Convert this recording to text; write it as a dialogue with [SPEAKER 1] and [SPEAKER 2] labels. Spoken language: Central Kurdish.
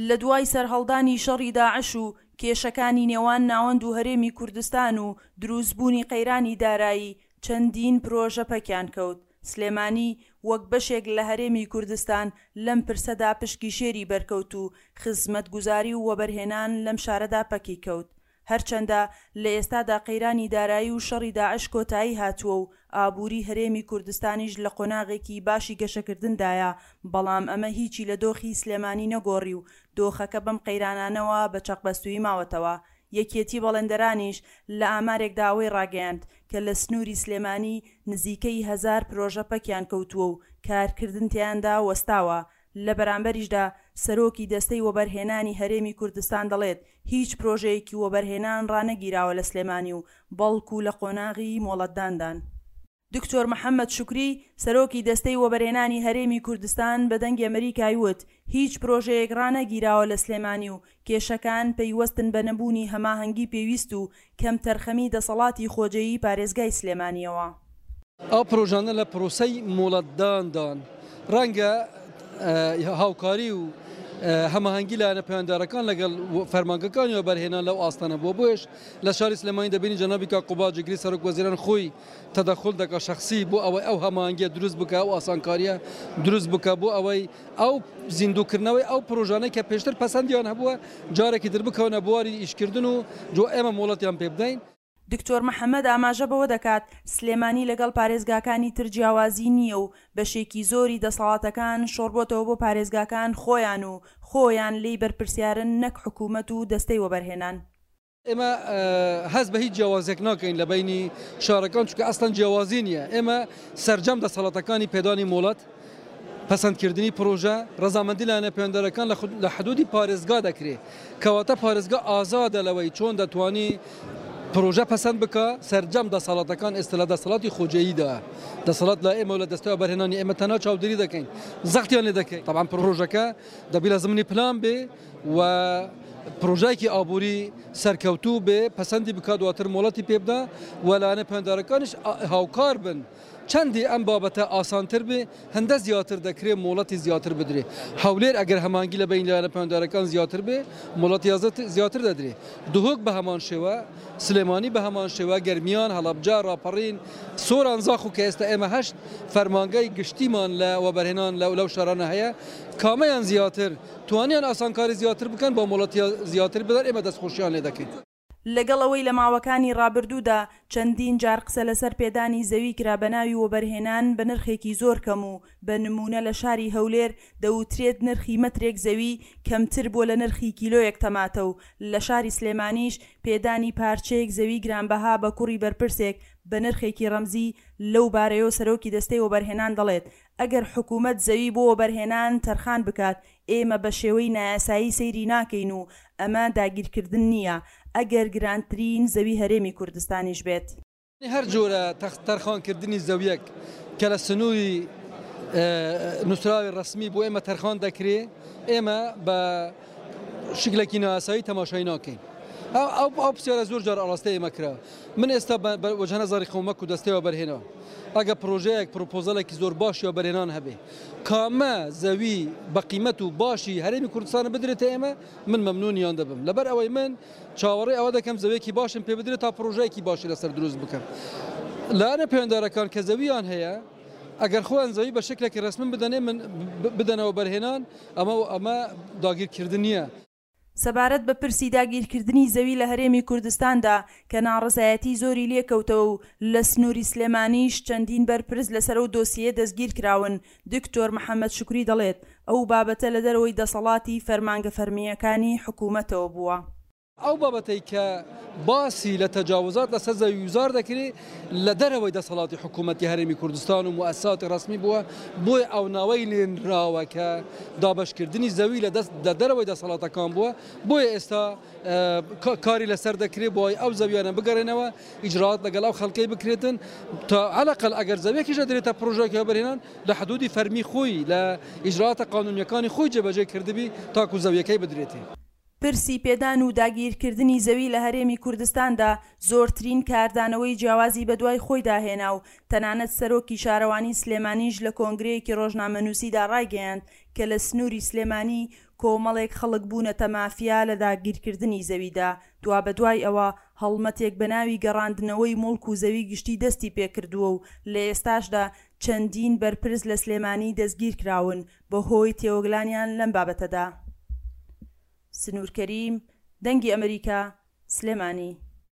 [SPEAKER 1] لە دوای سەرهەڵدانی شەڕی داعش و کێشەکانی نێوان ناوەند و هەرێمی کوردستان و دروستبوونی قەیرانی دارایی، چەندین پرۆژە پەکیان کەوت. سلێمانی وەک بەشێک لە هەرێمی کوردستان لەم پرسەدا پشکی شێری بەرکەوت و خزمەتگوزاری و وەبەرهێنان لەم شارەدا پەکی کەوت. هەرچەندە لە ئێستادا قەیرانی دارایی و شەڕی داعش کۆتایی هاتووە و ئابووری هەرێمی کوردستانیش لە قۆناغێکی باشی گەشەکردندایە، بەڵام ئەمە هیچی لە دۆخی سلێمانی نەگۆڕی و دۆخەکە بەم قەیرانانەوە بە چەقبەستوویی ماوەتەوە. یەکێتی بەڵێندەرانیش لە ئامارێکدا ئەوەی ڕاگەیاند کە لە سنووری سلێمانی نزیکەی هەزار پرۆژە پەکیان کەوتووە و کارکردن تیایاندا وەستاوە، لە بەرامبەریشدا سەرۆکی دەستەی وەبەرهێنانی هەرێمی کوردستان دەڵێت، هیچ پرۆژەیەکی وەبەرهێنان ڕانەگیراوە لە سلێمانی و بەڵکو لە قۆناغی مۆڵەتداندان. دکتۆر محەمەد شوکری، سەرۆکی دەستەی وەبەرهێنانی هەرێمی کوردستان بە دەنگی ئەمریکای وت، هیچ پرۆژەیەک ڕانەگیراوە لە سلێمانی و کێشەکان پەیوەستن بە نەبوونی هەماهەنگی پێویست و کەمتەرخەمی دەسەڵاتی خۆجێیی پارێزگای سلێمانییەوە.
[SPEAKER 2] ئەو پرۆژانە لە پرۆسەی مۆڵەتداندان، ڕەنگە هاوکاری و هەماهەنگی لایەنە پەیوەندیدارەکان لەگەڵ فەرمانگەکانی وەبەرهێنان لەو ئاستە نەبووە، بۆیەش لە شاری سلێمانی دەبینین جەنابی کاک قوباد جێگری سەرۆک وەزیران خۆی تەدەخول دەکات شەخسی بۆ ئەوەی ئەو هەماهەنگیە دروست بکات، ئەو ئاسانکاریە دروست بکات بۆ ئەوەی ئەو زیندووکردنەوەی ئەو پرۆژانەی کە پێشتر پەسەندیان هەبووە جارێکی تر بکەونە بواری ئیشکردن و جۆ ئێمە مۆڵەتیان پێ بدەین.
[SPEAKER 1] دکتۆر محەمەد ئاماژە بەوە دەکات، سلێمانی لەگەڵ پارێزگاکانی تر جیاوازی نییە و بەشێکی زۆری دەسەڵاتەکان شۆڕبۆتەوە بۆ پارێزگاکان خۆیان و خۆیان لێی بەرپرسیارن نەک حکومەت و دەستەی وەبەرهێنان.
[SPEAKER 2] ئێمە هەست بە هیچ جیاوازیەک ناکەین لە بەینی شارەکان چونکە ئەسڵەن جیاوازی نییە ئێمە سەرجەم دەسەڵاتەکانی پێدانی مۆڵەت پەسەندکردنی پرۆژە ڕەزامەندی لایەنە پەیوەندارەکان لە حدودی پارێزگا دەکرێت کەواتە پارێزگا ئازادە لەوەی چۆن دەتوانی پرۆژە پەسەند بکە سەرجەم دەسەڵاتەکان ئێستا لە دەسەڵاتی خۆجێیدا دەسەڵات لە ئێمە لە دەستەوە بەرهێنانی ئێمە تەنها چاودێری دەکەین زەختیان لێ دەکەین تەبعەن پرۆژەکە دەبی لە زمنی پلان بێ و پرۆژایەکی ئابووری سەرکەوتوو بێ پەسەندی بکات دواتر مۆڵەتی پێ بدا و لایەنە پەیوەندارەکانیش هاوکار بن چەندی ئەم بابەتە ئاسانتر بێ هەندە زیاتر دەکرێ مۆڵەتی زیاتر بدرێ هەولێر ئەگەر هەمانگی لە بەین لایەنە پەیوەندارەکان زیاتر بێ مۆڵەتی زیاتر دەدرێ دهۆک بە هەمان شێوە سلێمانی بە هەمان شێوە گەرمیان هەڵەبجە ڕاپەڕین سۆران زاخۆ کە ئێستا ئێمە هەشت فەرمانگەی گشتیمان لە وەبەرهێنان لەو شارانە هەیە کامەیان زیاتر توانیان ئاسانکاری زیاتر بکەن با مۆڵەتی زیاتر بدەن ئێمە دەستخۆشیان لێ دەکەین.
[SPEAKER 1] لەگەڵ ئەوەی لە ماوەکانی ڕابردوودا چەندین جار قسە لەسەر پێدانی زەوی کرا بە ناوی وەبەرهێنان بە نرخێکی زۆر کەم و بە نموونە لە شاری هەولێر دەوترێت نرخی مەترێک زەوی کەمتر بووە لە نرخی کیلۆیەک تەماتە و لە شاری سلێمانیش پێدانی پارچەیەک زەوی گرانبەها بە کوڕی بەرپرسێک بە نرخێکی ڕەمزی لەو بارەیەوە سەرۆکی دەستەی وەبەرهێنان دەڵێت ئەگەر حکومەت زەوی بۆ وەبەرهێنان تەرخان بکات، ئێمە بە شێوەی نایاسایی سەیری ناکەین و ئەمە داگیرکردن نییە، ئەگەر گرانترین زەوی هەرێمی کوردستانیش بێت.
[SPEAKER 2] هەر جۆرە تەرخانکردنی زەویەک کە لە سنووری نووسراوی ڕەسمی بۆ ئێمە تەرخان دەکرێ، ئێمە بە شکلێکی نایاسایی تەماشای ناکەین. ئەو پرسیارە زۆر جار ئاراستەی ئێمە کرا. من ئێستا بە وەجهە نەزەڕی خۆم وەکو دەستەی وەبەرهێنان ئەگە پرۆژەیەک پرۆپۆزەلێکی زۆر باشی وەبەرهێنان هەبێ کامە زەوی بە قیمەت و باشی هەرێمی کوردستانە بدرێتە ئێمە من مەمنونیان دەبم لەبەر ئەوەی من چاوەڕێ ئەوە دەکەم زەویەکی باشم پێ بدرێت تا پرۆژەیەکی باشی لەسەر دروست بکەم لایەنە پەیوەندارەکان کە زەویان هەیە ئەگەر خۆیان زەوی بە شکلێکی ڕەسمی بدەنێ من بدەنەوە بەرهێنان ئەمە ئەمە داگیرکردن نییە.
[SPEAKER 1] سەبارەت بە پرسی داگیرکردنی زەوی لە هەرێمی کوردستاندا کە ناڕەزایەتی زۆری لێکەوتەوە و لە سنووری سلێمانیش چەندین بەرپرس لەسەر ئەو دۆسیەیە دەستگیرکراون، دکتۆر محەمەد شوکری دەڵێت، ئەو بابەتە لە دەرەوەی دەسەڵاتی فەرمانگە فەرمییەکانی حکوومەتەوە بووە.
[SPEAKER 2] ئەو بابەتەی کە باسی لە تەجاوزات لەسەر زەوی وزار دەکرێ لە دەرەوەی دەسەڵاتی حکوومەتی هەرێمی کوردستان و موئەسساتی ڕەسمی بووە، بۆیە ئەو ناوەی لێنراوە کە دابەشکردنی زەوی لە دەست لە دەرەوەی دەسەڵاتەکان بووە، بۆیە ئێستا کاری لەسەر دەکرێ بۆ ئەوەی ئەو زەویانە بگەڕێنەوە، ئیجرائات لەگەڵ ئەو خەڵکەی بکرێتن تا عەلەقەل ئەگەر زەویەکیش دەدرێتە پڕۆژەیەکی وەبەرهێنان لە حدودی فەرمی خۆی لە ئیجرائاتە قانونیەکانی خۆی جێبەجێ کردبی تاکو زەویەکەی بدرێتێ.
[SPEAKER 1] پرسی پێدان و داگیرکردنی زەوی لە هەرێمی کوردستاندا زۆرترین کاردانەوەی جیاوازی بەدوای خۆیدا هێنا و تەنانەت سەرۆکی شارەوانی سلێمانیش لە کۆنگرەیەکی ڕۆژنامەنووسیدا ڕایگەیاند کە لە سنووری سلێمانی کۆمەڵێک خەڵک بوونەتە مافیا لە داگیرکردنی زەویدا، دوابەدوای ئەوە هەڵمەتێک بەناوی گەڕاندنەوەی موڵک و زەوی گشتی دەستی پێکردووە و لە ئێستاشدا چەندین بەرپرس لە سلێمانی دەستگیرکراون بەهۆی تێوەگلانیان لەم بابەتەدا. سنوور کەریم، دەنگی ئەمریکا، سلێمانی.